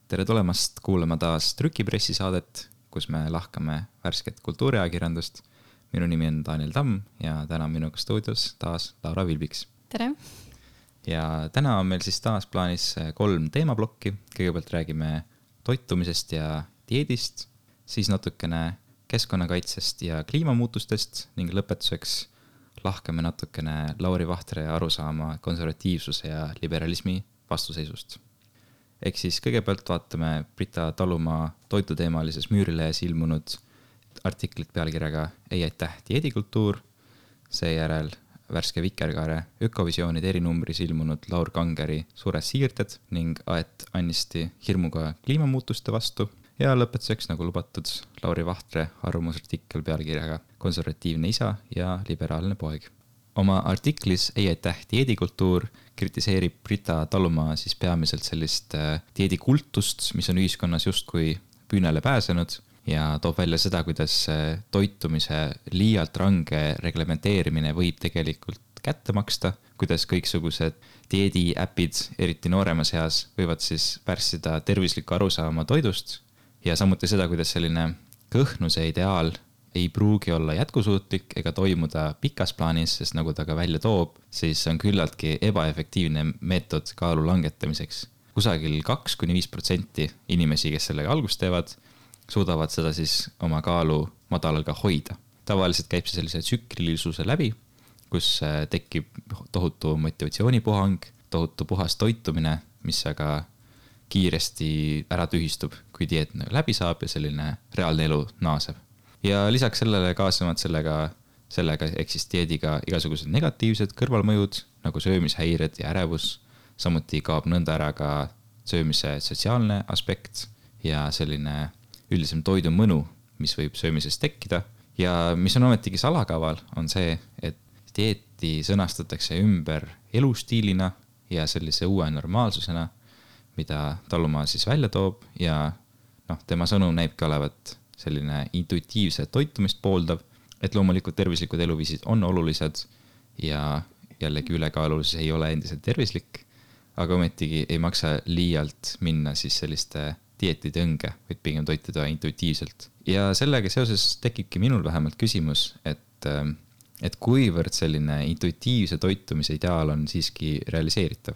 tere tulemast kuulama taas Trükipressi saadet, kus me lahkame värsket kultuuriajakirjandust. Minu nimi on Daniel Tamm ja täna on minuga stuudios taas Laura Vilbiks. Tere! Ja täna on meil siis taas plaanis 3 teemablokki. Kõigepealt räägime toitumisest ja dieedist, siis natukene keskkonnakaitsest ja kliimamuutustest ning lõpetuseks lahkame natukene Lauri Vahtre arusaama konservatiivsuse ja liberalismi vastuseisust. Ehk siis kõigepealt vaatame Brita Talumaa toituteemalises Müürilehes ilmunud artiklit pealkirjaga Ei aitäh dieedikultuur, seejärel värske Vikerkaare ökovisioonide erinumbris ilmunud Laur Kangeri Suured siirded ning Aet Annisti hirmuga kliimamuutuste vastu ja lõpetuseks, nagu lubatud, Lauri Vahtre arvamusartikkel pealkirjaga Konservatiivne isa ja liberaalne poeg. Oma artiklis Ei aitäh dieedikultuur kritiseerib Brita Talumaa siis peamiselt sellist dieedikultust, mis on ühiskonnas justkui püünele pääsenud ja toob välja seda, kuidas toitumise liialt range reglementeerimine võib tegelikult kätte maksta, kuidas kõiksugused dieediäpid, eriti nooremas eas, võivad siis pärssida tervislikku arusaama toidust ja samuti seda, kuidas selline kõhnuse ideaal ei pruugi olla jätkusuutlik ega toimuda pikas plaanis, sest nagu ta ka välja toob, siis on küllaltki ebaefektiivne meetod kaalu langetamiseks. Kusagil 2-5% inimesi, kes sellega algust teevad, suudavad seda siis oma kaalu madalal ka hoida. Tavaliselt käib see sellise tsüklilisuse läbi, kus tekib tohutu motivatsioonipuhang, tohutu puhas toitumine, mis aga kiiresti ära tühistub, kui dieet läbi saab ja selline reaalne elu naaseb. Ja lisaks sellele kaasnevad sellega ehk siis dieediga igasugused negatiivsed kõrvalmõjud, nagu söömishäired ja ärevus. Samuti kaob nõnda ära ka söömise sotsiaalne aspekt ja selline üldisem toidu mõnu, mis võib söömisest tekkida. Ja mis on ometigi salakaval, on see, et dieeti sõnastatakse ümber elustiilina ja sellise uue normaalsusena, mida Talumaa siis välja toob ja tema sõnum näibki olevat selline intuitiivse toitumist pooldav, et loomulikult tervislikud eluviisid on olulised ja jällegi ülekaalulisus ei ole endiselt tervislik, aga ometigi ei maksa liialt minna siis selliste dieetide õnge, vaid pigem toituda intuitiivselt. Ja sellega seoses tekibki minul vähemalt küsimus, et kuivõrd selline intuitiivse toitumise ideaal on siiski realiseeritav?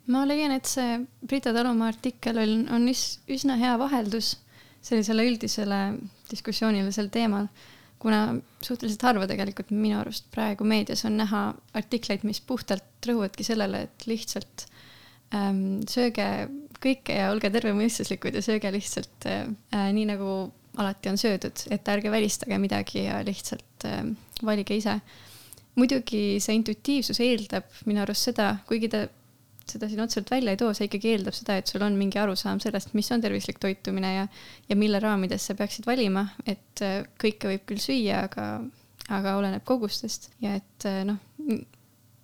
Ma leian, et see Brita Talumaa artikkel on üsna hea vaheldus sellisele üldisele diskussioonile sel teemal, kuna suhteliselt harva tegelikult minu arust praegu meedias on näha artikleid, mis puhtalt rõhuvadki sellele, et lihtsalt sööge kõike ja olge tervemõistuslikud ja sööge lihtsalt nii nagu alati on söödud, et ärge välistage midagi ja lihtsalt valige ise. Muidugi see intuitiivsus eeldab minu arust seda, kuigi ta seda siin otseselt välja ei too, see ikkagi eeldab seda, et sul on mingi arusaam sellest, mis on tervislik toitumine ja mille raamides sa peaksid valima, et kõike võib küll süüa, aga oleneb kogustest ja et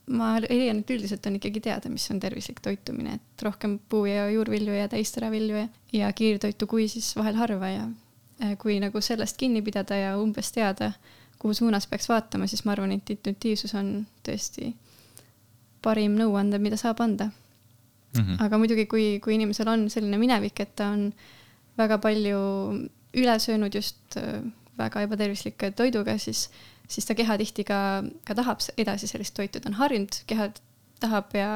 ma leian, et üldiselt on ikkagi teada, mis on tervislik toitumine, et rohkem puu- ja juurvilju ja täisteravilju ja kiirtoitu kui siis vahel harva ja kui nagu sellest kinni pidada ja umbes teada, kuhu suunas peaks vaatama, siis ma arvan, et intuitiivsus on tõesti parim nõuande, mida saab anda. Aga muidugi, kui inimesel on selline minevik, et ta on väga palju üle söönud just väga ebatervislike toiduga, siis ta keha tihti ka tahab edasi sellist toitu. Ta on harjunud, keha tahab ja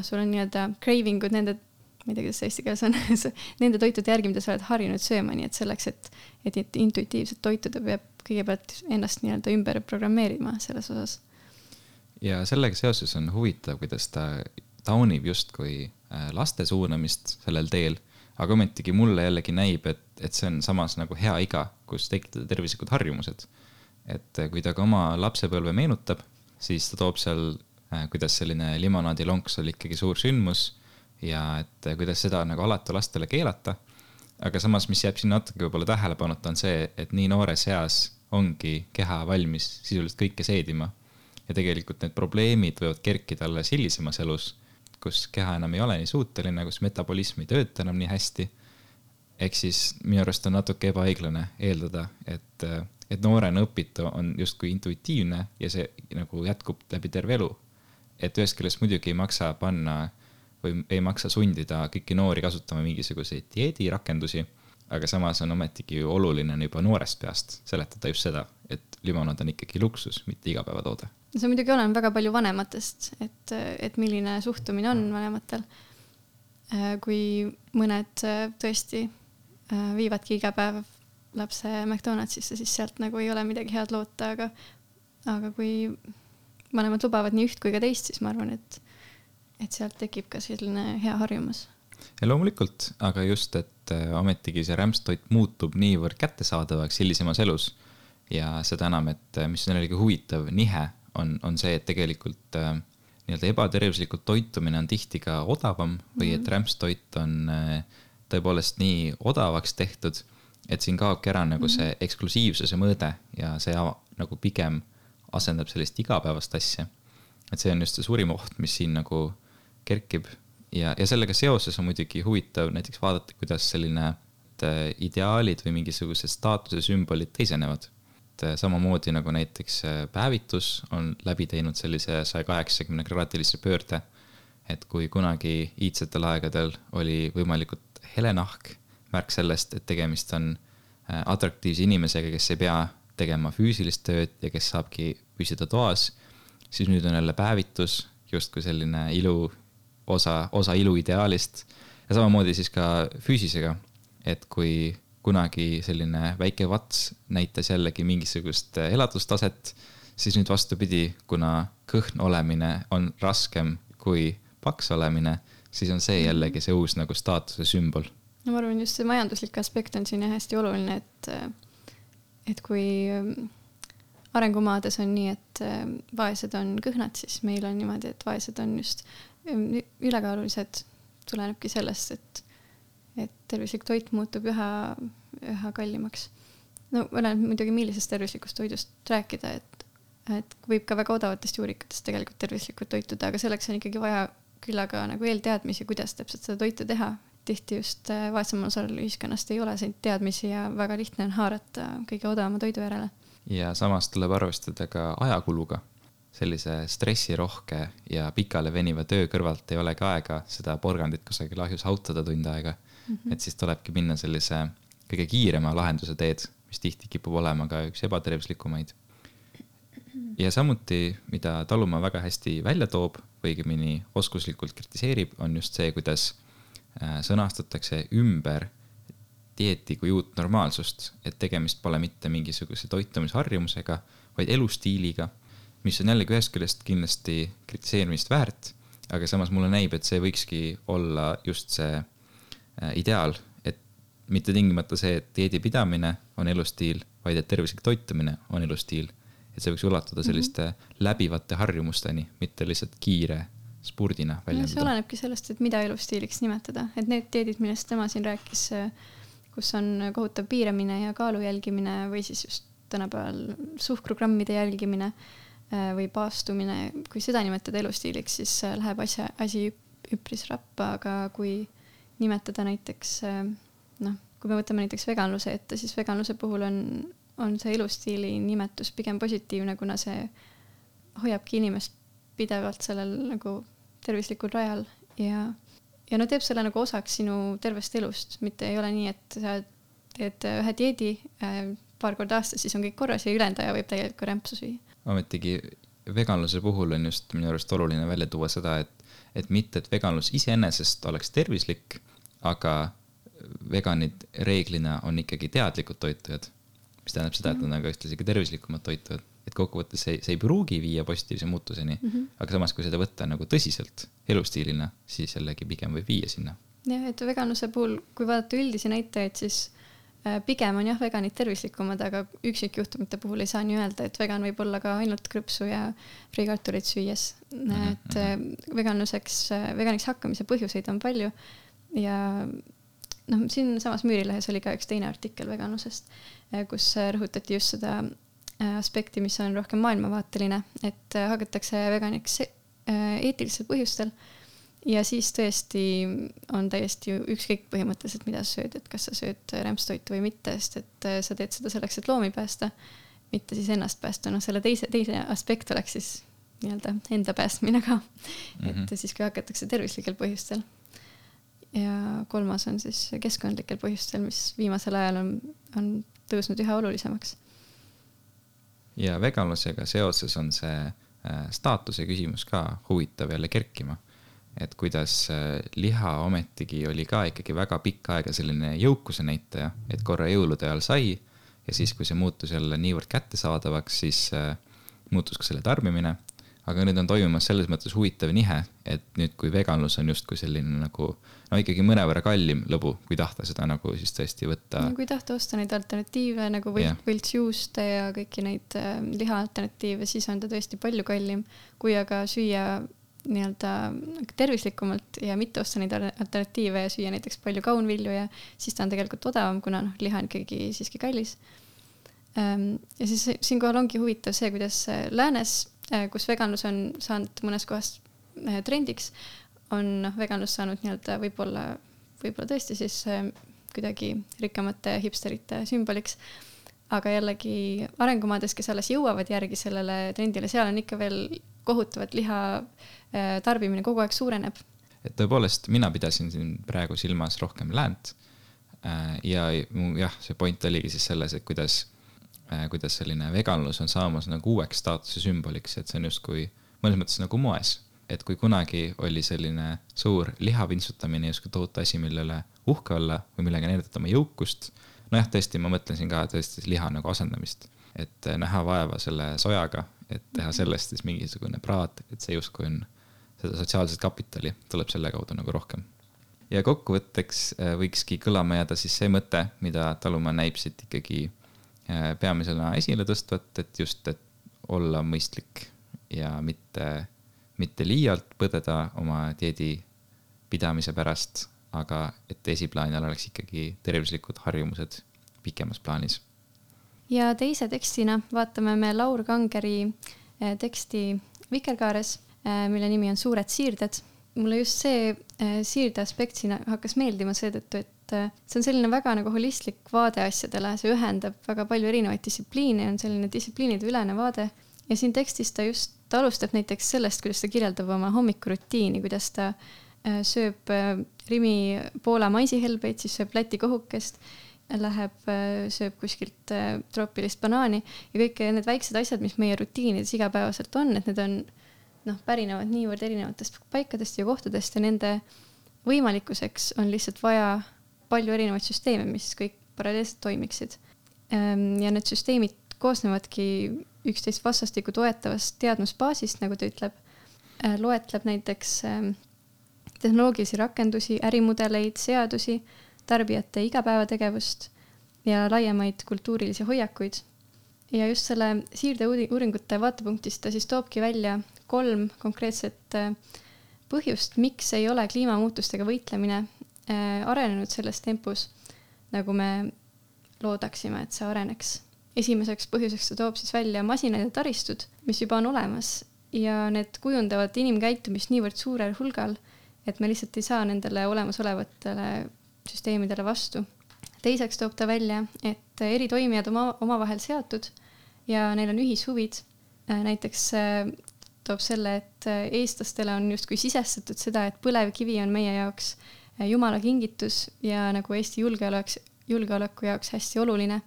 sul on nii-öelda cravingud nende, ma ei tea, kuidas eesti keeles on, nende toitude järgi, mida sa oled harjunud sööma, nii et selleks, et intuitiivselt toituda, peab kõigepealt ennast nii-öelda ümber programmeerima selles osas. Ja sellega seoses on huvitav, kuidas ta taunib justkui laste suunamist sellel teel, aga ometigi mulle jällegi näib, et see on samas nagu hea iga, kus tekitada tervislikud harjumused. Et kui ta ka oma lapsepõlve meenutab, siis ta toob seal, kuidas selline limonaadilonks oli ikkagi suur sündmus ja et kuidas seda nagu alati lastele keelata. Aga samas, mis jääb siin natuke võib-olla tähelepanuta, on see, et nii noores eas ongi keha valmis sisuliselt kõike seedima. Ja tegelikult need probleemid võivad kerkida alles hilisemas elus, kus keha enam ei ole nii suuteline, kus metabolism ei tööta enam nii hästi. Ehk siis minu arust on natuke ebaõiglane eeldada, et noorena õpitu on justkui intuitiivne ja see nagu jätkub läbi terve elu. Et ühest küljest muidugi ei maksa panna või ei maksa sundida kõiki noori kasutama mingisuguseid dieedirakendusi, aga samas on ometigi oluline juba noorest peast seletada just seda, et limonaad on ikkagi luksus, mitte igapäevatoode. See muidugi olen väga palju vanematest, et milline suhtumine on vanematel. Kui mõned tõesti viivadki iga päev lapse McDonaldsisse, siis sealt nagu ei ole midagi head loota, aga kui vanemad lubavad nii üht kui ka teist, siis ma arvan, et sealt tekib ka selline hea harjumus. Ja loomulikult, aga just, et ometigi see rämpstoit muutub niivõrd kättesaadavaks hilisemas elus ja seda enam, et mis on jällegi huvitav nihe, on see, et tegelikult nii-öelda ebatervislikult toitumine on tihti ka odavam või et rämpstoit on tõepoolest nii odavaks tehtud, et siin kaobki ära nagu see eksklusiivsuse mõõde ja see nagu pigem asendab sellist igapäevast asja. Et see on just see suurim oht, mis siin nagu kerkib ja sellega seoses on muidugi huvitav näiteks vaadata, kuidas selline ideaalid või mingisugused staatuse sümbolid teisenevad. Samamoodi nagu näiteks päevitus on läbi teinud sellise 180-kraadilise pöörde, et kui kunagi iidsetel aegadel oli võimalikult helenahk, märk sellest, et tegemist on atraktiivse inimesega, kes ei pea tegema füüsilist tööd ja kes saabki püsida toas, siis nüüd on jälle päevitus, justkui selline osa ilu ideaalist ja samamoodi siis ka füüsisega, et kui kunagi selline väike vats näitas jällegi mingisugust elatustaset, siis nüüd vastupidi, kuna kõhn olemine on raskem kui paks olemine, siis on see jällegi see uus nagu staatuse sümbol. No ma arvan, just see majanduslik aspekt on siin hästi oluline, et kui arengumaades on nii, et vaesed on kõhnad, siis meil on niimoodi, et vaesed on just ülekaalulised, tulenebki sellest, et tervislik toit muutub üha kallimaks. No olen muidugi millisest tervislikust toidust rääkida, et võib ka väga odavatest juurikatest tegelikult tervislikult toituda, aga selleks on ikkagi vaja küllaga nagu eelteadmisi, kuidas täpselt seda toitu teha. Tihti just vaesemal osal ühiskonnast ei ole neid teadmisi ja väga lihtne on haarata kõige odavama toidu järele. Ja samas tuleb arvestada ka ajakuluga. Sellise stressirohke ja pikale veniva töö kõrvalt ei olegi aega seda porgandit kusagil ahjus hautada tund aega. Et siis tulebki minna sellise kõige kiirema lahenduse teed, mis tihti kipub olema ka üks ebatervislikumaid. Ja samuti, mida talumaa väga hästi välja toob või õigemini oskuslikult kritiseerib, on just see, kuidas sõnastatakse ümber dieeti kui uut normaalsust, et tegemist pole mitte mingisuguse toitumisharjumusega, vaid elustiiliga, mis on jällegi ühest küljest kindlasti kritiseerimist väärt, aga samas mulle näib, et see võikski olla just see ideaal, et mitte tingimata see, et dieedi pidamine on elustiil, vaid et tervislik toitumine on elustiil. Et see võiks ulatuda selliste läbivate harjumusteni, mitte lihtsalt kiire spurdina väljendada. See olenebki sellest, et mida elustiiliks nimetada. Et need dieedid, millest tema siin rääkis, kus on kohutav piiramine ja kaalu jälgimine või siis just tänapäeval suhkrugrammide jälgimine või paastumine, kui seda nimetada elustiiliks, siis läheb asi üpris rappa, aga kui nimetada näiteks, kui me võtame näiteks veganluse ette, siis veganluse puhul on see elustiili nimetus pigem positiivne, kuna see hoiabki inimest pidevalt sellel nagu tervislikul rajal ja teeb selle nagu osaks sinu tervest elust, mitte ei ole nii, et sa teed ühe dieedi paar korda aastas, siis on kõik korras ja ülejäänud aja võib täielikult rämpsu süüa. Ametigi veganluse puhul on just minu arust oluline välja tuua seda, et mitte, et veganlus iseenesest oleks tervislik, aga veganid reeglina on ikkagi teadlikud toitujad, mis tähendab seda, et nad on ka ühtlasi tervislikumad toitujad. Et kokkuvõttes see ei pruugi viia positiivse muutuseni, aga samas kui seda võtta nagu tõsiselt elustiilina, siis jällegi pigem võib viia sinna. Jah, et veganluse puhul, kui vaadata üldisi näitajaid, siis pigem on veganid tervislikumad, aga üksikjuhtumite puhul ei saa nii öelda, et vegan võib olla ka ainult krõpsu ja friikartulit süües. Et veganiks hakkamise põhjuseid on palju ja siin samas Müürilehes oli ka üks teine artikkel veganlusest, kus rõhutati just seda aspekti, mis on rohkem maailmavaateline, et hakatakse veganiks eetilistel põhjustel ja siis tõesti on täiesti ükskõik põhimõtteliselt, mida sa sööd, et kas sa sööd rämpstoitu või mitte, sest et sa teed seda selleks, et loomi päästa, mitte siis ennast päästa. Selle teise aspekt oleks siis nii-öelda enda päästmine ka, et siis kui hakatakse tervislikel põhjustel. Ja 3. on siis keskkondlikel põhjustel, mis viimasel ajal on tõusnud üha olulisemaks. Ja veganlusega seoses on see staatuse küsimus ka huvitav jälle kerkima. Et kuidas liha ometigi oli ka ikkagi väga pikka aega selline jõukuse näitaja, et korra jõulude ajal sai ja siis, kui see muutus jälle niivõrd kättesaadavaks, siis muutus ka selle tarbimine. Aga nüüd on toimumas selles mõttes huvitav nihe, et nüüd kui veganlus on just kui selline nagu, no ikkagi mõnevõrra kallim lõbu, kui tahta seda nagu siis tõesti võtta. No, kui tahta osta neid alternatiive nagu võltsjuuste ja kõiki neid liha alternatiive, siis on ta tõesti palju kallim, kui aga süüa nii-öelda tervislikumalt ja mitte osta neid alternatiive ja süüa näiteks palju kaunvilju ja siis ta on tegelikult odavam, kuna liha on ikkagi siiski kallis. Ja siis siinkohal ongi huvitav see, kuidas läänes, kus veganlus on saanud mõnes kohas trendiks, on veganlus saanud nii-öelda võib-olla tõesti siis kuidagi rikkamate hipsterite sümboliks, aga jällegi arengumaades, kes alles jõuavad järgi sellele trendile, seal on ikka veel kohutavat liha tarbimine kogu aeg suureneb. Et tõepoolest, mina pidasin siin praegu silmas rohkem läänt ja see point oligi siis selles, et kuidas selline veganlus on saamas nagu uueks staatuse sümboliks, et see on just kui mõnes mõttes nagu moes, et kui kunagi oli selline suur lihavintsutamine just kui tohutu asi, millele uhke olla või millega näidata oma jõukust. Nojah, tõesti, ma mõtlen siin ka tõesti liha nagu asendamist, et näha vaeva selle sojaga, et teha sellest siis mingisugune praad, et see just kui on seda sotsiaalset kapitali, tuleb selle kaudu nagu rohkem. Ja kokkuvõtteks võikski kõlama jääda siis see mõte, mida Talumaa näib siit ikkagi peamisena esile tõstvat, et just, et olla mõistlik ja mitte liialt põdeda oma dieedi pidamise pärast, aga et esiplaanil oleks ikkagi tervislikud harjumused pikemas plaanis. Ja teise tekstina vaatame me Laur Kangeri teksti Vikerkaares, mille nimi on Suured siirded. Mulle just see siirde aspekt siin hakkas meeldima seetõttu, et see on selline väga nagu holistlik vaade asjadele, see ühendab väga palju erinevaid distsipliine, on selline distsipliinide ülene vaade ja siin tekstis ta just alustab näiteks sellest, kuidas ta kirjeldab oma hommikurutiini, kuidas ta sööb Rimi Poola maisihelbeid, siis sööb Läti kohukest, sööb kuskilt troopilist banaani ja kõik need väiksed asjad, mis meie rutiinides igapäevaselt on, et need on pärinevad niivõrd erinevatest paikadest ja kohtadest ja nende võimalikkuseks on lihtsalt vaja palju erinevaid süsteeme, mis kõik paralleelselt toimiksid. Ja need süsteemid koosnevadki üksteist vastastikku toetavast teadmusbaasist, nagu ta ütleb. Loetleb näiteks tehnoloogilisi rakendusi, ärimudeleid, seadusi, tarbijate igapäevategevust ja laiemaid kultuurilisi hoiakuid. Ja just selle siirde uuringute vaatepunktist ta siis toobki välja 3 konkreetset põhjust, miks ei ole kliimamuutustega võitlemine arenenud selles tempos, nagu me loodaksime, et see areneks. Esimeseks põhjuseks ta toob siis välja masinad ja taristud, mis juba on olemas ja need kujundavad inimkäitumist niivõrd suurel hulgal, et me lihtsalt ei saa nendele olemasolevatele süsteemidele vastu. Teiseks toob ta välja, et eri toimijad omavahel seotud ja neil on ühishuvid. Näiteks toob selle, et eestlastele on justkui sisestatud seda, et põlevkivi on meie jaoks Jumala kingitus ja nagu Eesti julgeoleku jaoks hästi oluline.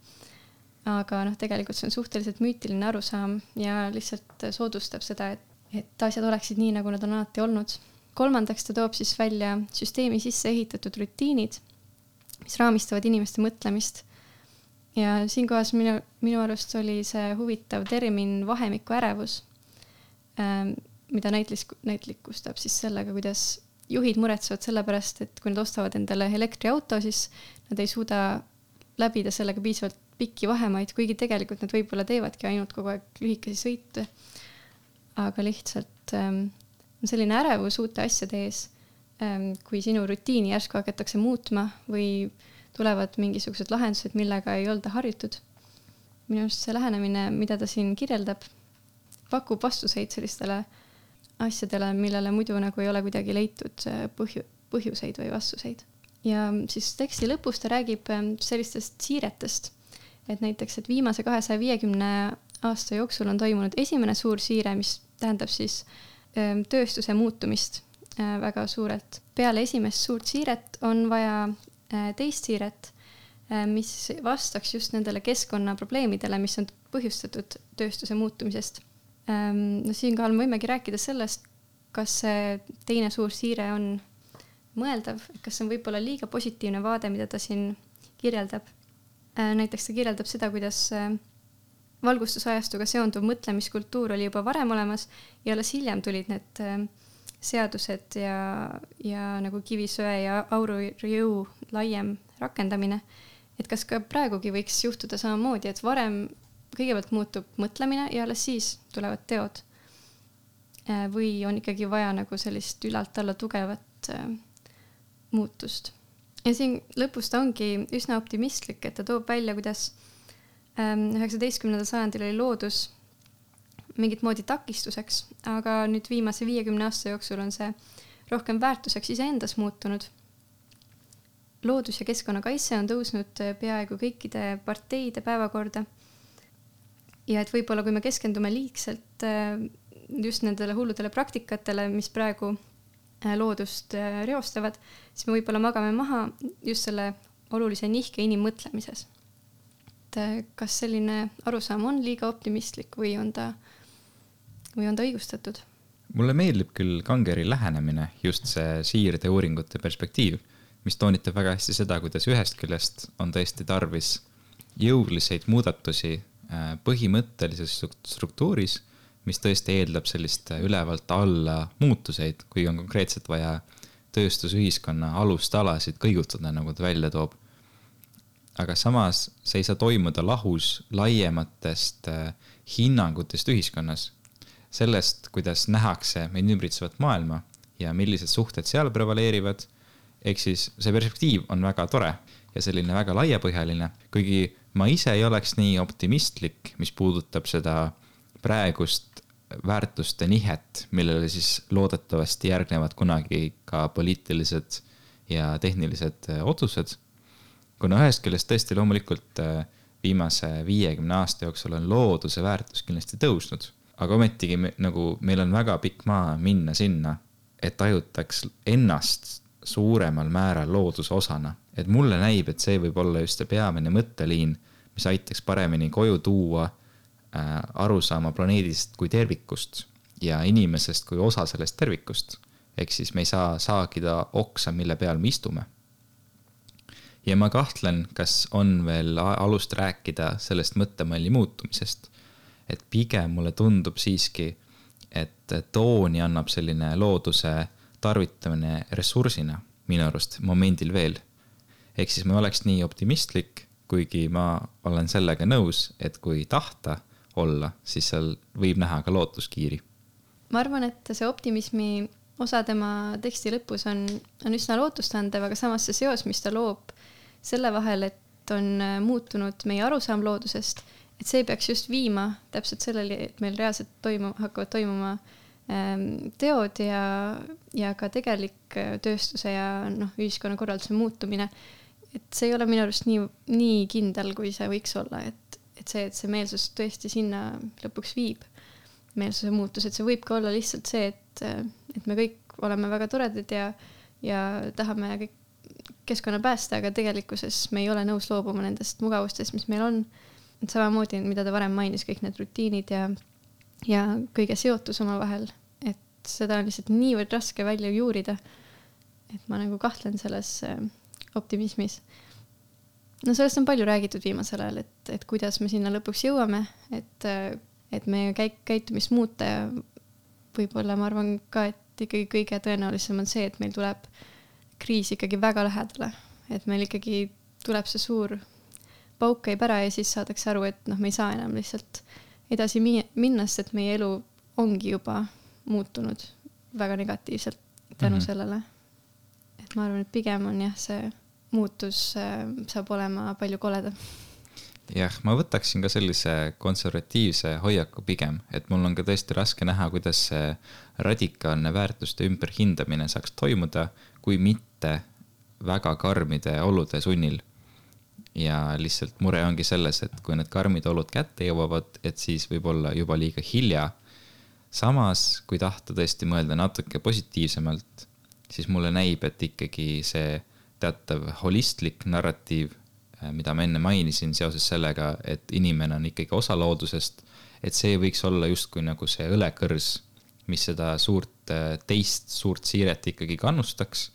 Aga tegelikult see on suhteliselt müütiline arusaam ja lihtsalt soodustab seda, et asjad oleksid nii, nagu nad on alati olnud. Kolmandaks ta toob siis välja süsteemi sisse ehitatud rutiinid, mis raamistavad inimeste mõtlemist. Ja siinkohas minu arust oli see huvitav termin vahemiku ärevus, mida näitlikustab siis sellega, kuidas juhid muretsevad selle pärast, et kui nad ostavad endale elektriauto, siis nad ei suuda läbida sellega piisavalt pikki vahemaid, kuigi tegelikult nad võib-olla teevadki ainult kogu aeg lühikesi sõite. Aga lihtsalt on selline ärevus uute asjade ees, kui sinu rutiini järsku hakatakse muutma või tulevad mingisugused lahendused, millega ei olda harjutud. Minu arust see lähenemine, mida ta siin kirjeldab, pakub vastuseid sellistele asjadele, millele muidu nagu ei ole kuidagi leitud põhjuseid või vastuseid. Ja siis teksti lõpus ta räägib sellistest siiretest, et näiteks, et viimase 250 aasta jooksul on toimunud esimene suur siire, mis tähendab siis tööstuse muutumist väga suurelt. Peale esimest suurt siiret on vaja teist siiret, mis vastaks just nendele keskkonnaprobleemidele, mis on põhjustatud tööstuse muutumisest. No siinkohal me võimegi rääkida sellest, kas see teine suur siire on mõeldav, kas see on võib-olla liiga positiivne vaade, mida ta siin kirjeldab. Näiteks ta kirjeldab seda, kuidas valgustusajastuga seonduv mõtlemiskultuur oli juba varem olemas ja alles hiljem tulid need seadused ja nagu kivisöe ja aurujõu laiem rakendamine. Et kas ka praegugi võiks juhtuda samamoodi, et varem kõigepealt muutub mõtlemine ja alles siis tulevad teod. Või on ikkagi vaja nagu sellist ülalt alla tugevat muutust. Ja siin lõpus ta ongi üsna optimistlik, et ta toob välja, kuidas 19. sajandil oli loodus mingit moodi takistuseks, aga nüüd viimase 50 aasta jooksul on see rohkem väärtuseks iseendas muutunud. Loodus- ja keskkonnakaitse on tõusnud peaaegu kõikide parteide päevakorda. Ja et võib-olla kui me keskendume liigselt just nendele hulludele praktikatele, mis praegu loodust reostavad, siis me võib-olla magame maha just selle olulise nihke inimmõtlemises. Et kas selline arusaam on liiga optimistlik või on ta õigustatud? Mulle meeldib küll Kangeri lähenemine, just see siirde uuringute perspektiiv, mis toonitab väga hästi seda, kuidas ühest küljest on tõesti tarvis jõuliseid muudatusi põhimõttelises struktuuris, mis tõesti eeldab sellist ülevalt alla muutuseid, kui on konkreetselt vaja tööstusühiskonna alustalasid kõigutada, nagu ta välja toob. Aga samas see ei saa toimuda lahus laiematest hinnangutest ühiskonnas. Sellest, kuidas nähakse meid ümbritsevat maailma ja millised suhted seal prevaleerivad. Ehk siis see perspektiiv on väga tore ja selline väga laiapõhjaline, kuigi ma ise ei oleks nii optimistlik, mis puudutab seda praegust väärtuste nihet, millele siis loodetavasti järgnevad kunagi ka poliitilised ja tehnilised otsused. Kuna ühest küljest tõesti loomulikult viimase 50 aasta jooksul on looduse väärtus kindlasti tõusnud, aga ometigi nagu meil on väga pikk maa minna sinna, et ajutaks ennast suuremal määral looduse osana. Et mulle näib, et see võib olla just see peamine mõtteliin, mis aitaks paremini koju tuua arusaama planeedist kui tervikust ja inimesest kui osa sellest tervikust. Ehk siis me ei saa saagida oksa, mille peal me istume. Ja ma kahtlen, kas on veel alust rääkida sellest mõttemalli muutumisest. Et pigem mulle tundub siiski, et tooni annab selline looduse tarvitamine ressursina minu arust momendil veel. Ehk siis ma oleks nii optimistlik, kuigi ma olen sellega nõus, et kui tahta olla, siis seal võib näha ka lootuskiiri. Ma arvan, et see optimismi osa tema teksti lõpus on üsna lootustandev, aga samas see seos, mis ta loob selle vahel, et on muutunud meie arusaam loodusest, et see peaks just viima täpselt sellele, et meil reaalselt hakkavad toimuma teod ja ka tegelik tööstuse ja ühiskonna korralduse muutumine. Et see ei ole minu arust nii kindel, kui see võiks olla, et see meelsus tõesti sinna lõpuks viib. Meelsuse muutus, et see võib ka olla lihtsalt see, et me kõik oleme väga toredad ja tahame kõik keskkonna päästa, aga tegelikkuses me ei ole nõus loobuma nendest mugavustest, mis meil on. Et samamoodi, mida ta varem mainis, kõik need rutiinid ja kõige seotus oma vahel, et seda on lihtsalt niivõrd raske välja juurida, et ma nagu kahtlen selles optimismis. No sellest on palju räägitud viimasel ajal, et kuidas me sinna lõpuks jõuame, et meie käitumist muuta ja võib-olla ma arvan ka, et ikkagi kõige tõenäolisem on see, et meil tuleb kriis ikkagi väga lähedale, et meil ikkagi tuleb see suur pauk käib ära ja siis saadakse aru, et me ei saa enam lihtsalt edasi minna, sest meie elu ongi juba muutunud väga negatiivselt tänu sellele. Et ma arvan, et pigem on see muutus saab olema palju koledam. Jah, ma võtaksin ka sellise konservatiivse hoiaku pigem, et mul on ka tõesti raske näha, kuidas see radikaalne väärtuste ümberhindamine saaks toimuda, kui mitte väga karmide olude sunnil. Ja lihtsalt mure ongi selles, et kui need karmid olud kätte jõuavad, et siis võib olla juba liiga hilja samas, kui tahta tõesti mõelda natuke positiivsemalt, siis mulle näib, et ikkagi see teatav holistlik narratiiv, mida ma enne mainisin seoses sellega, et inimene on ikkagi osa loodusest, et see võiks olla justkui nagu see õlekõrs, mis seda teist suurt siiret ikkagi kannustaks.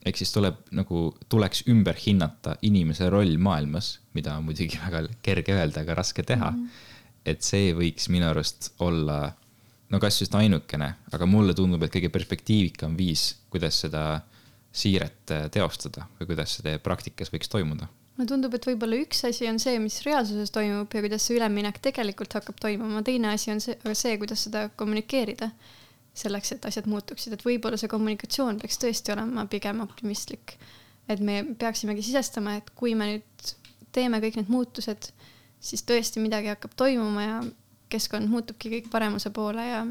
Ehk siis tuleks ümber hinnata inimese roll maailmas, mida on muidugi väga kerge öelda, aga raske teha. Et see võiks minu arust olla, no kas just ainukene, aga mulle tundub, et kõige perspektiivikam viis, kuidas seda siiret teostada või kuidas see praktikas võiks toimuda. Mulle tundub, et võib-olla üks asi on see, mis reaalsuses toimub ja kuidas see üleminek tegelikult hakkab toimuma. Teine asi on see, kuidas seda kommunikeerida selleks, et asjad muutuksid. Et võib-olla see kommunikatsioon peaks tõesti olema pigem optimistlik. Et me peaksimegi sisestama, et kui me nüüd teeme kõik need muutused, siis tõesti midagi hakkab toimuma ja keskkond muutubki kõik paremuse poole ja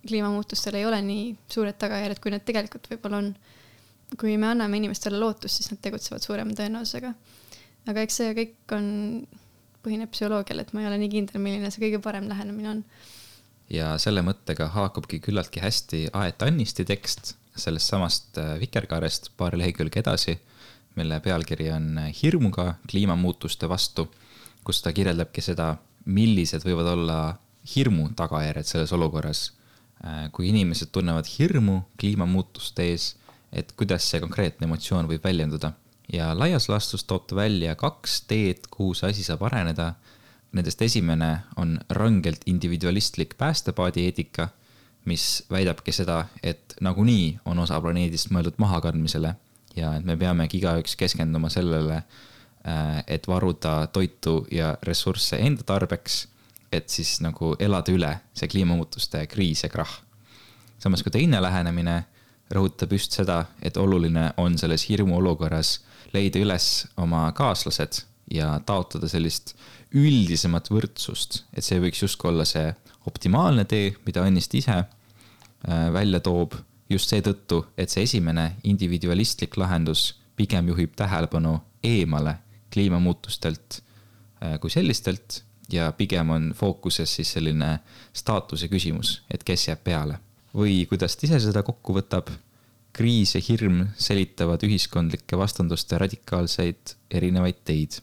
kliimamuutustel ei ole nii suured tagajärjed, kui need tegelikult võib-olla on. Kui me anname inimestele lootust, siis nad tegutsevad suurema tõenäosusega. Aga eks see kõik põhineb psühholoogial, et ma ei ole nii kindel, milline see kõige parem lähenemine on. Ja selle mõttega haakubki küllaltki hästi Aet Annisti tekst sellest samast Vikerkaarest paar lehekülge edasi, mille pealkiri on Hirmuga kliimamuutuste vastu, kus ta kirjeldabki seda, millised võivad olla hirmu tagajärjed selles olukorras. Kui inimesed tunnevad hirmu kliimamuutuste ees, et kuidas see konkreetne emotsioon võib väljenduda. Ja laias laastus toob ta välja 2 teed, kuhu see asi saab areneda. Nendest esimene on rangelt individualistlik päästepaadi eetika, mis väidabki seda, et nagunii on osa planeedist mõeldud mahakandmisele ja et me peamegi igaüks keskenduma sellele, et varuda toitu ja ressursse enda tarbeks, et siis nagu elada üle see kliimamuutuste kriis ja krahh. Samas kui teine lähenemine rõhutab just seda, et oluline on selles hirmu olukorras leida üles oma kaaslased ja taotleda sellist üldisemat võrdsust, et see võiks justkui olla see optimaalne tee, mida Annist ise välja toob just seetõttu, et see esimene individualistlik lahendus pigem juhib tähelepanu eemale kliimamuutustelt kui sellistelt ja pigem on fookuses siis selline staatuse küsimus, et kes jääb peale. Või kuidas ta ise seda kokku võtab, kriis ja hirm selitavad ühiskondlike vastanduste radikaalseid erinevaid teid.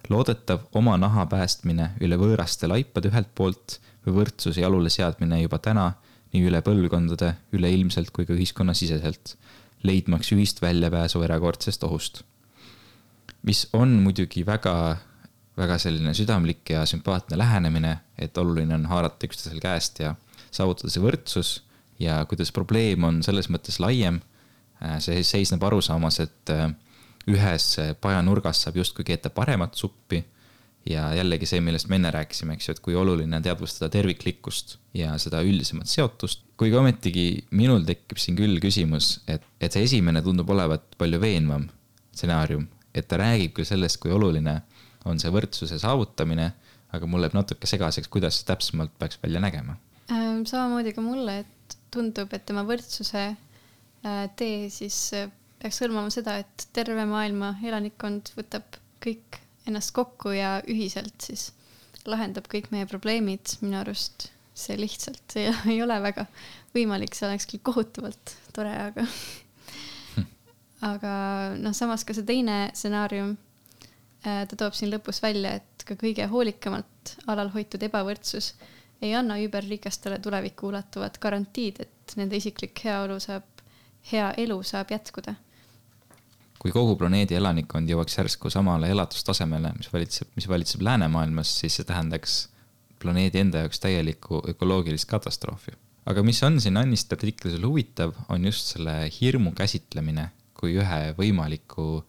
Loodetav oma naha päästmine üle võõraste laipade ühelt poolt või võrdsuse jalule seadmine juba täna nii üle põlvkondade, üle ilmselt kui ka ühiskonnasiseselt, leidmaks ühist väljapääsu erakordsest ohust. Mis on muidugi väga, väga selline südamlik ja sümpaatne lähenemine, et oluline on haarata üksteisel käest ja saavutada see võrdsus ja kuidas probleem on selles mõttes laiem, see seisneb arusaamas, et ühes pajanurgas saab justkui keeta paremat suppi ja jällegi see, millest me enne rääkisime, eks ju, et kui oluline on teadvustada terviklikkust ja seda üldisemat seotust. Kui ka ometigi minul tekib siin küll küsimus, et see esimene tundub olevat palju veenvam stsenaarium, et ta räägib küll sellest, kui oluline on see võrdsuse saavutamine, aga mul läheb natuke segaseks, kuidas see täpsemalt peaks välja nägema. Samamoodi ka mulle, et tundub, et tema võrdsuse tee siis peaks hõlmama seda, et terve maailma elanikkond võtab kõik ennast kokku ja ühiselt siis lahendab kõik meie probleemid. Minu arust see lihtsalt ei ole väga võimalik, see oleks küll kohutavalt tore, aga samas ka see teine stsenaarium, ta toob siin lõpus välja, et ka kõige hoolikamalt alal hoitud ebavõrdsus ei anna überrikastele tulevikku ulatuvat garantiid, et nende isiklik hea elu saab jätkuda. Kui kogu planeedi elanikkond jõuaks järsku samale elatustasemele, mis valitseb läänemaailmas, siis see tähendaks planeedi enda jaoks täielikku ökoloogilist katastroofi. Aga mis on siin Annist artiklisel huvitav, on just selle hirmu käsitlemine kui ühe võimaliku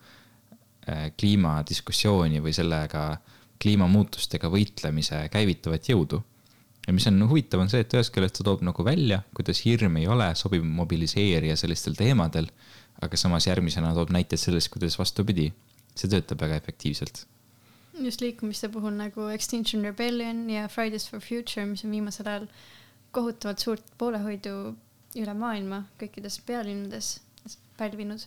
kliimadiskussiooni või sellega kliimamuutustega võitlemise käivitavat jõudu. Ja mis on huvitav on see, et ühes küljest ta toob nagu välja, kuidas hirm ei ole sobiv mobiliseerija sellistel teemadel, aga samas järgmisena toob näiteid sellest, kuidas vastupidi. See töötab väga efektiivselt. Just liikumiste puhul nagu Extinction Rebellion ja Fridays for Future, mis on viimasel ajal kohutavalt suurt poolehoidu üle maailma kõikides pealinnades pälvinud.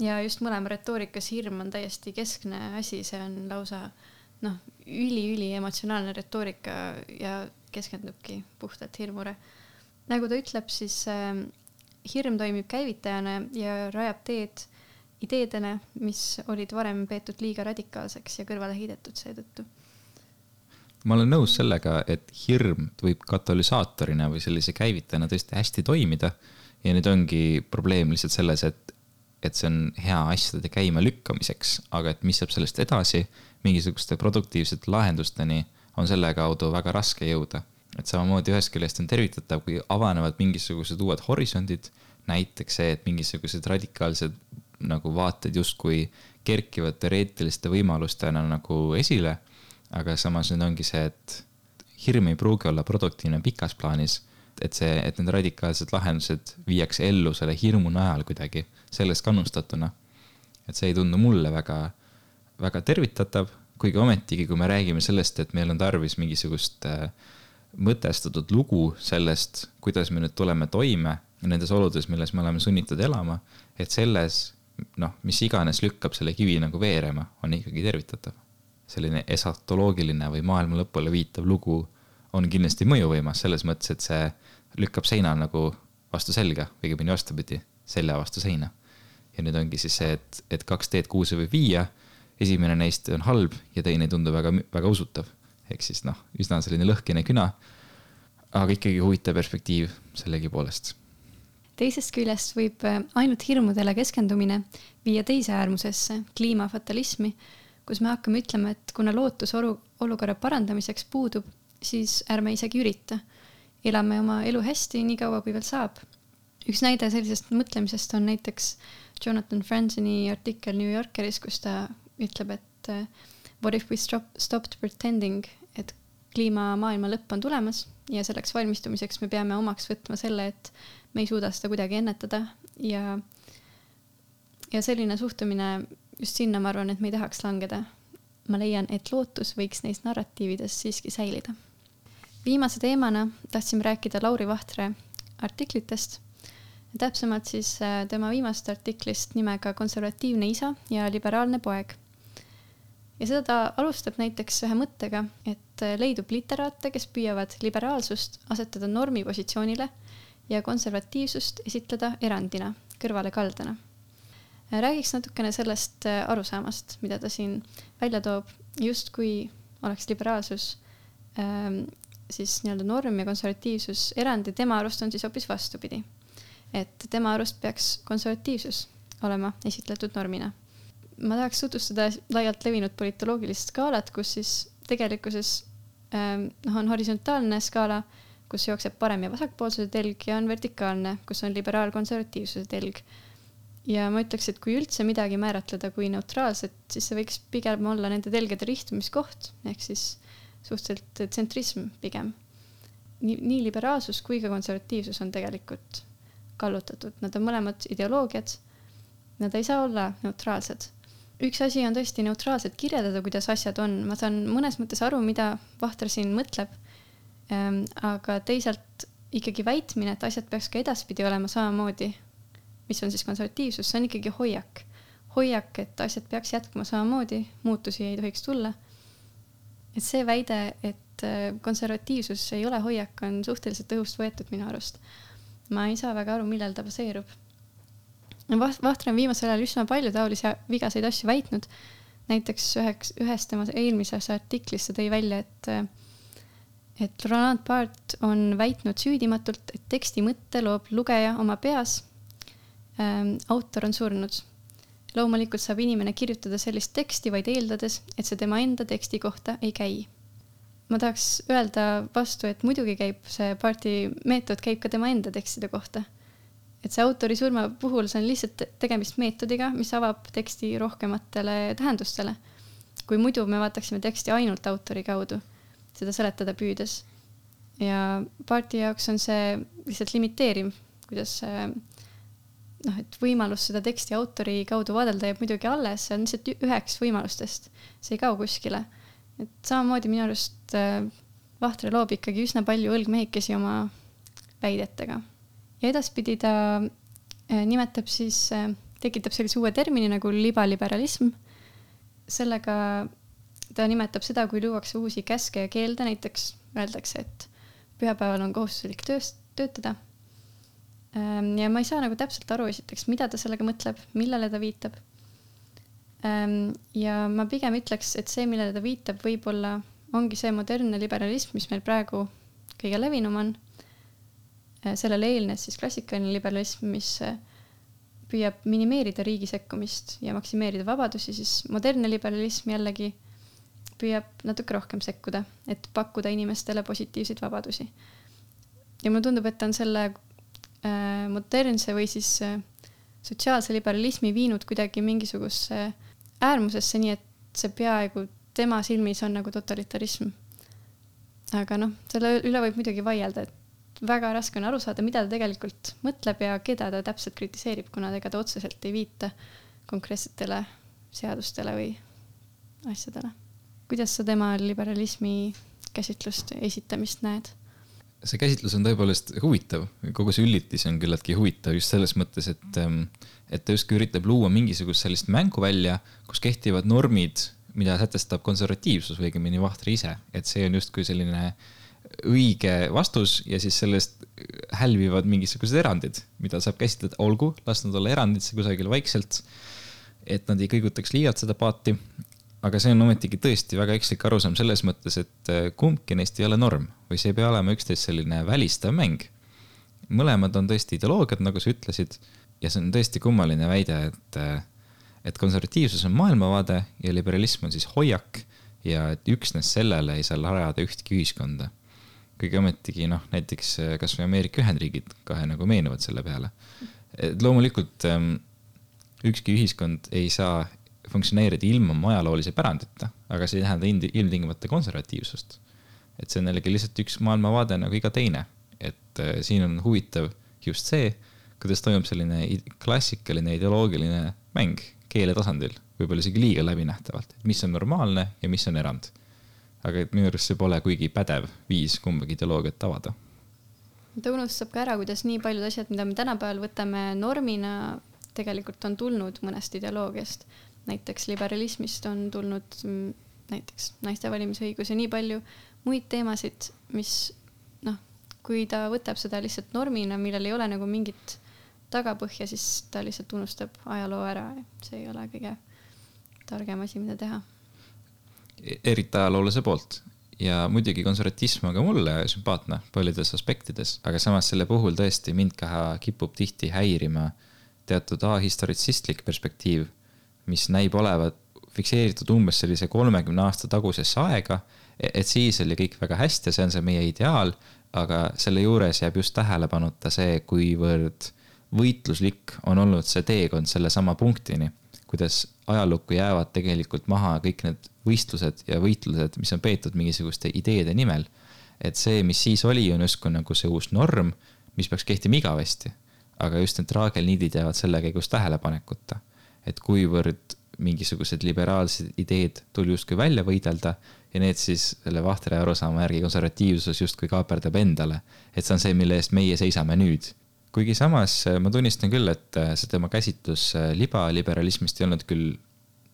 Ja just mõlema retoorikas hirm on täiesti keskne asi, see on lausa üli emotsionaalne retoorika ja keskendubki puhtalt hirmule. Nagu ta ütleb, siis hirm toimib käivitajana ja rajab teed ideedele, mis olid varem peetud liiga radikaalseks ja kõrvale heidetud seetõttu. Ma olen nõus sellega, et hirm võib katalüsaatorina või sellise käivitajana tõesti hästi toimida ja nüüd ongi probleem lihtsalt selles, et see on hea asjade käima lükkamiseks, aga et mis saab sellest edasi, mingisuguste produktiivsete lahendusteni on selle kaudu väga raske jõuda. Et samamoodi ühest küljest on tervitatav, kui avanevad mingisugused uued horisondid, näiteks see, et mingisugused radikaalsed nagu vaated justkui kerkivad teoreetiliste võimalustena nagu esile, aga samas nüüd ongi see, et hirm ei pruugi olla produktiivne pikas plaanis, et need radikaalsed lahendused viiakse ellu selle hirmu najal kuidagi, sellest kannustatuna. Et see ei tundu mulle väga, väga tervitatav, kuigi ometigi, kui me räägime sellest, et meil on tarvis mingisugust mõtestatud lugu sellest, kuidas me nüüd tuleme toime nendes oludes, milles me oleme sunnitud elama, et selles, mis iganes lükkab selle kivi nagu veerema, on ikkagi tervitatav. Selline esatoloogiline või maailma lõpule viitav lugu on kindlasti mõjuvõimas selles mõttes, et see lükkab seina nagu vastu selga, õigemini vastupidi, selja vastu seina. Ja nüüd ongi siis see, et 2 teed 6 võib viia, esimene neist on halb ja teine ei tundu väga, väga usutav. Ehk siis üsna selline lõhkine küna, aga ikkagi huvitav perspektiiv sellegi poolest. Teisest küljest võib ainult hirmudele keskendumine viia teise äärmusesse, kliimafatalismi, kus me hakkame ütlema, et kuna lootus olukorra parandamiseks puudub, siis ärme isegi ürita. Elame oma elu hästi nii kaua, kui veel saab. Üks näide sellisest mõtlemisest on näiteks Jonathan Franzeni artikkel New Yorkeris, kus ta ütleb, et what if we stopped pretending, et kliimamaailma lõpp on tulemas ja selleks valmistumiseks me peame omaks võtma selle, et me ei suuda seda kuidagi ennetada ja selline suhtumine just sinna ma arvan, et me ei tahaks langeda. Ma leian, et lootus võiks neist narratiivides siiski säilida. Viimase teemana tahtsime rääkida Lauri Vahtre artiklitest. Täpsemalt siis tema viimast artiklist nimega Konservatiivne isa ja liberaalne poeg. Ja seda ta alustab näiteks ühe mõttega, et leidub literaate, kes püüavad liberaalsust asetada normi positsioonile ja konservatiivsust esitleda erandina, kõrvale kaldana. Räägiks natukene sellest arusaamast, mida ta siin välja toob, just kui oleks liberaalsus siis nii-öelda norm ja konservatiivsus erandi, tema arust on siis hoopis vastupidi. Et tema arust peaks konservatiivsus olema esitletud normina. Ma tahaks tutvustada laialt levinud politoloogilist skaalat, kus siis tegelikkuses on horisontaalne skaala, kus jookseb parem- ja vasakpoolsuse telg ja on vertikaalne, kus on liberaal-konservatiivsuse telg. Ja ma ütleks, et kui üldse midagi määratleda kui neutraalset, siis see võiks pigem olla nende telgede rihtumiskoht, ehk siis suhteliselt tsentrism pigem. Nii liberaalsus kui ka konservatiivsus on tegelikult kallutatud. Nad on mõlemad ideoloogiad, nad ei saa olla neutraalsed. Üks asi on tõesti neutraalselt kirjeldada, kuidas asjad on. Ma saan mõnes mõttes aru, mida Vahter siin mõtleb, aga teisalt ikkagi väitmine, et asjad peaks ka edaspidi olema samamoodi, mis on siis konservatiivsus, see on ikkagi hoiak. Hoiak, et asjad peaks jätkuma samamoodi, muutusi ei tohiks tulla. Et see väide, et konservatiivsus ei ole hoiak, on suhteliselt õhust võetud minu arust. Ma ei saa väga aru, millel ta baseerub. Vahtre on viimasel ajal üsna palju taolisi vigaseid asju väitnud. Näiteks ühes tema eelmises artiklis tõi välja, et Roland Barthes on väitnud süüdimatult, et teksti mõtte loob lugeja oma peas. Autor on surnud. Loomulikult saab inimene kirjutada sellist teksti vaid eeldades, et see tema enda teksti kohta ei käi. Ma tahaks öelda vastu, et muidugi käib see parti meetod käib ka tema enda tekstide kohta. Et see autori surma puhul see on lihtsalt tegemist meetodiga, mis avab teksti rohkematele tähendustele. Kui muidu me vaataksime teksti ainult autori kaudu, seda seletada püüdes. Ja parti jaoks on see lihtsalt limiteeriv, kuidas et võimalus seda teksti autori kaudu vaadelda jääb muidugi alles, see on lihtsalt üheks võimalustest, see ei kao kuskile. Et samamoodi minu arust Vahtre loob ikkagi üsna palju õlgmehikesi oma väidetega. Ja edaspidi ta nimetab siis, tekitab sellise uue termini nagu libaliberalism. Sellega ta nimetab seda, kui luuakse uusi käske ja keelde, näiteks öeldakse, et pühapäeval on kohustuslik töötada. Ja ma ei saa nagu täpselt aru esiteks, mida ta sellega mõtleb, millele ta viitab. Ja ma pigem ütleks, et see, millele ta viitab, võib-olla ongi see modernne liberalism, mis meil praegu kõige levinum on. Sellele eelnes siis klassikaline liberalism, mis püüab minimeerida riigi sekkumist ja maksimeerida vabadusi, siis modernne liberalism jällegi püüab natuke rohkem sekkuda, et pakkuda inimestele positiivseid vabadusi. Ja mulle tundub, et on selle modernse või siis sotsiaalse liberalismi viinud kuidagi mingisuguse äärmusesse, nii et see peaaegu tema silmis on nagu totalitarism. Aga selle üle võib muidugi vaielda, et väga raske on aru saada, mida ta tegelikult mõtleb ja keda ta täpselt kritiseerib, kuna ega ta otseselt ei viita konkreetsetele seadustele või asjadele. Kuidas sa tema liberalismi käsitlust esitamist näed? See käsitlus on tõepoolest huvitav. Kogu see üllitis on küllaltki huvitav just selles mõttes, et ta justkui üritab luua mingisugust sellist mängu välja, kus kehtivad normid, mida sätestab konservatiivsus või õigemini Vahtre ise. Et see on justkui selline õige vastus ja siis sellest hälvivad mingisugused erandid, mida saab käsitleda, olgu, las nad olla eranditse kusagil vaikselt, et nad ei kõigutaks liialt seda paati. Aga see on ometigi tõesti väga ekslik arusaam selles mõttes, et kumbki neist ei ole norm või see ei pea olema üksteist selline välistav mäng. Mõlemad on tõesti ideoloogiad, nagu sa ütlesid, ja see on tõesti kummaline väide, et konservatiivsus on maailmavaade ja liberalism on siis hoiak ja et üksnes sellele ei saa rajada ühtki ühiskonda. Kõige ometigi, näiteks kas või Ameerika Ühendriigid kahe nagu meenuvad selle peale. Et loomulikult ükski ühiskond ei saa funktsioneerida ilma ajaloolise pärandita, aga see ei tähenda ilmtingimata konservatiivsust. Et see on jällegi lihtsalt üks maailmavaade nagu iga teine. Et siin on huvitav just see, kuidas toimub selline klassikaline ideoloogiline mäng keele tasandil, võib-olla isegi liiga läbinähtavalt, et mis on normaalne ja mis on erand. Aga minu arust see pole kuigi pädev viis kumbagi ideoloogiat avada. Ta unustab ka ära, kuidas nii paljud asjad, mida me tänapäeval võtame normina, tegelikult on tulnud mõnest ideoloogiast. Näiteks liberalismist on tulnud näiteks naiste valimisõigus ja nii palju muid teemasid, mis kui ta võtab seda lihtsalt normina, millel ei ole nagu mingit tagapõhja, siis ta lihtsalt unustab ajaloo ära. See ei ole kõige targem asi, mida teha. Eriti ajaloolase poolt. Ja muidugi konservatism on ka mulle sümpaatne paljudes aspektides, aga samas selle puhul tõesti mind ka kipub tihti häirima teatud ahistoritsistlik perspektiiv, mis näib olevat fikseeritud umbes sellise 30 aasta tagusesse aega, et siis oli kõik väga hästi ja see on see meie ideaal, aga selle juures jääb just tähelepanuta see, kuivõrd võitluslik on olnud see teekond selle sama punktini, kuidas ajalukku jäävad tegelikult maha kõik need võistlused ja võitlused, mis on peetud mingisuguste ideede nimel. Et see, mis siis oli, on justkui nagu see uus norm, mis peaks kehtima igavesti, aga just need traagelniidid jäävad selle käigus tähelepanekuta. Et kuivõrd mingisugused liberaalsed ideed tuli justkui välja võidelda ja need siis selle Vahtre arusaama järgi konservatiivsus justkui kaaperdab endale, et see on see, mille eest meie seisame nüüd. Kuigi samas ma tunnistan küll, et see tema käsitlus liberalismist ei olnud küll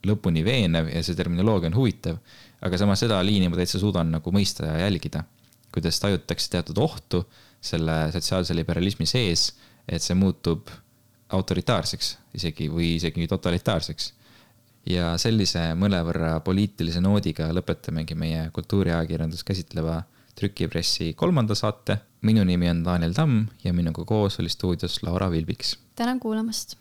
lõpuni veenev ja see terminoloogia on huvitav, aga samas seda liini ma täitsa suudan nagu mõista ja jälgida, kuidas tajutakse teatud ohtu selle sotsiaalse liberalismi sees, et see muutub autoritaarseks või isegi totalitaarseks. Ja sellise mõnevõrra poliitilise noodiga lõpetamegi meie kultuuriajakirjandus käsitleva Trükipressi 3. saate. Minu nimi on Daniel Tamm ja minuga koos oli stuudios Laura Vilbiks. Tänan kuulamast!